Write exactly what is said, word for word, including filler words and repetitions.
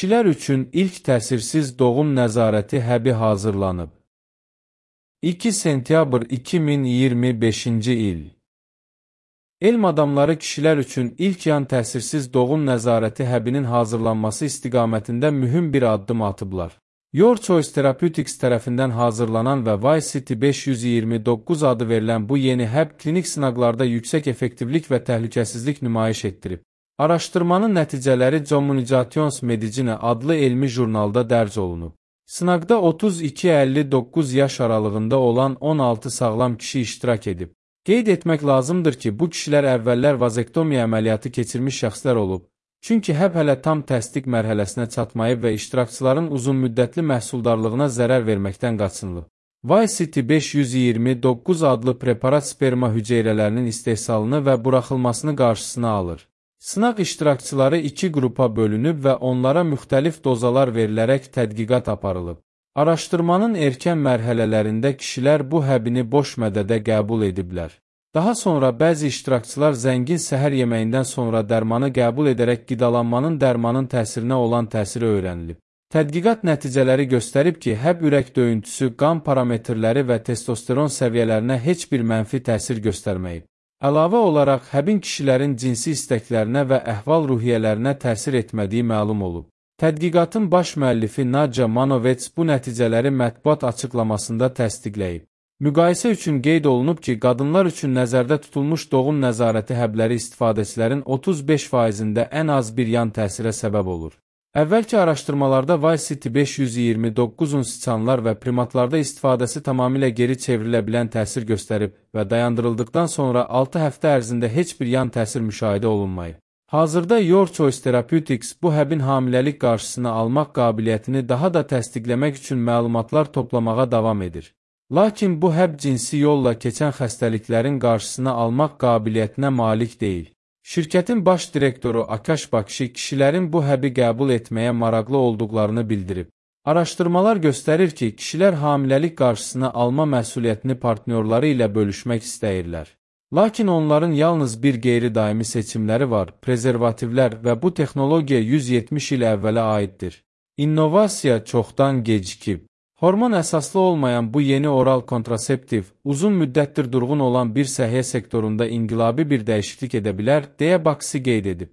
Kişilər üçün ilk təsirsiz doğum nəzarəti həbi hazırlanıb. iki sentyabr iki min iyirmi beşinci il. Elm adamları kişilər üçün ilk yan təsirsiz doğum nəzarəti həbinin hazırlanması istiqamətində mühüm bir addım atıblar. Your Choice Therapeutics tərəfindən hazırlanan və Y-C T beş yüz iyirmi doqquz adı verilən bu yeni həb klinik sınaqlarda yüksək effektivlik və təhlükəsizlik nümayiş etdirib. Araşdırmanın nəticələri Communications Medicine adlı elmi jurnalda dərc olunub. Sınaqda otuz iki əlli doqquz yaş aralığında olan on altı sağlam kişi iştirak edib. Qeyd etmək lazımdır ki, bu kişilər əvvəllər vazektomiya əməliyyatı keçirmiş şəxslər olub. Çünki həb hələ tam təsdiq mərhələsinə çatmayıb və iştirakçıların uzunmüddətli məhsuldarlığına zərər verməkdən qaçınılıb. Y-C T beş yüz iyirmi doqquz adlı preparat sperma hüceyrələrinin istehsalını və buraxılmasını qarşısına alır. Sınaq iştirakçıları iki qrupa bölünüb və onlara müxtəlif dozalar verilərək tədqiqat aparılıb. Araşdırmanın erkən mərhələlərində kişilər bu həbini boş mədədə qəbul ediblər. Daha sonra bəzi iştirakçılar zəngin səhər yeməyindən sonra dərmanı qəbul edərək qidalanmanın dərmanın təsirinə olan təsiri öyrənilib. Tədqiqat nəticələri göstərib ki, həb ürək döyüntüsü, qan parametrləri və testosteron səviyyələrinə heç bir mənfi təsir göstərməyib. Əlavə olaraq, həbin kişilərin cinsi istəklərinə və əhval-ruhiyyələrinə təsir etmədiyi məlum olub. Tədqiqatın baş müəllifi Nadja Manovets bu nəticələri mətbuat açıqlamasında təsdiqləyib. Müqayisə üçün qeyd olunub ki, qadınlar üçün nəzərdə tutulmuş doğum nəzarəti həbləri istifadəçilərin otuz beş faizində ən az bir yan təsirə səbəb olur. Əvvəlki araşdırmalarda Y-C T beş yüz iyirmi doqquzun siçanlar və primatlarda istifadəsi tamamilə geri çevrilə bilən təsir göstərib və dayandırıldıqdan sonra altı həftə ərzində heç bir yan təsir müşahidə olunmayıb. Hazırda Your Choice Therapeutics bu həbin hamiləlik qarşısını almaq qabiliyyətini daha da təsdiqləmək üçün məlumatlar toplamağa davam edir. Lakin bu həb cinsi yolla keçən xəstəliklərin qarşısını almaq qabiliyyətinə malik deyil. Şirkətin baş direktoru Akash Bakshi kişilərin bu həbi qəbul etməyə maraqlı olduqlarını bildirib. Araşdırmalar göstərir ki, kişilər hamiləlik qarşısını alma məsuliyyətini partnyorları ilə bölüşmək istəyirlər. Lakin onların yalnız bir qeyri-daimi seçimləri var, prezervativlər və bu texnologiya yüz yetmiş il əvvələ aiddir. İnnovasiya çoxdan gecikib. Hormon əsaslı olmayan bu yeni oral kontraseptiv, uzun müddətdir durğun olan bir səhiyyə sektorunda inqilabi bir dəyişiklik edə bilər, deyə Bakshi qeyd edib.